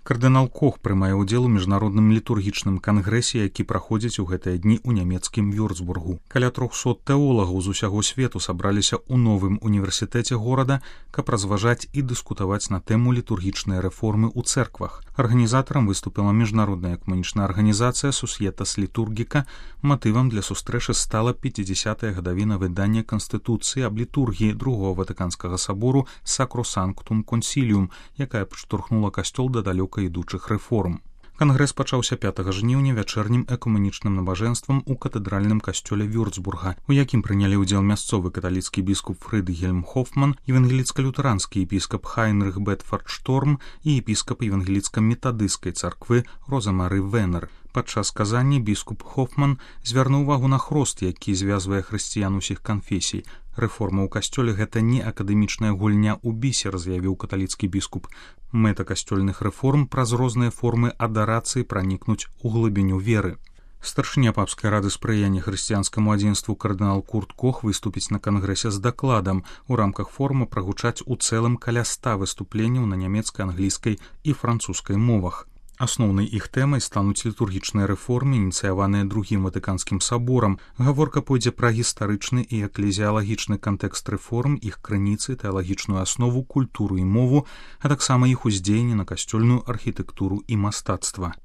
Кардынал Кох прымае ўдзел у міжнародным літургічным кангрэсе, які праходзіць у гэтыя дні ў нямецкім Вюрцбургу. Каля 300 тэолагаў з усяго свету сабраліся ў новым універсітэце горада, каб разважаць і дыскутаваць на тэму літургічнай рэформы ў цэрквах. Арганізатарам выступіла міжнародная экумэнічная арганізацыя Societas Liturgica. Матывам для сустрэчы стала 50-я гадавіна выдання Канстытуцыі аб літургіі Другого Ватыканскага сабору Sacrosanctum Concilium, якая падштурхнула касцёл да далёка ідучых рэформ. Кангрэс пачаўся 5 жніўня вячэрнім экумэнічным набажэнствам у катэдральным касцёле Вюрцбурга, у якім прынялі ўдзел мясцовы каталіцкі біскуп Фрыдгельм Хофман, евангеліцка-лютэранскі епіскап Хайнрых Бетфорд Шторм і епіскап евангеліцка-метадысцкай царквы Роза-Мары Венер. Падчас казання біскуп Хофман звярнуў увагу на хрост, які звязвае хрысціян усіх канфесій. Рэформа ў касцёле — гэта не акадэмічная гульня ў бісер, заявіў каталіцкі біскуп. Мэта касцёльных рэформ праз розныя формы адарацыі пранікнуць у глыбіню веры. Старшыня папскай рады спрыяння хрысціянскаму адзінству кардынал Курт Кох выступіць на кангрэсе з дакладам. У рамках форума прагучаць у цэлым каля 100 выступленняў на нямецкай, англійскай і французскай мовах. Асноўнай іх тэмай стануць літургічныя рэформы, ініцыяваныя Другім Ватыканскім саборам. Гаворка пойдзе пра гістарычны і эклезіялагічны кантэкст рэформ, іх крыніцы, тэалагічную аснову, культуру і мову, а таксама іх уздзеянне на касцёльную архітэктуру і мастацтва.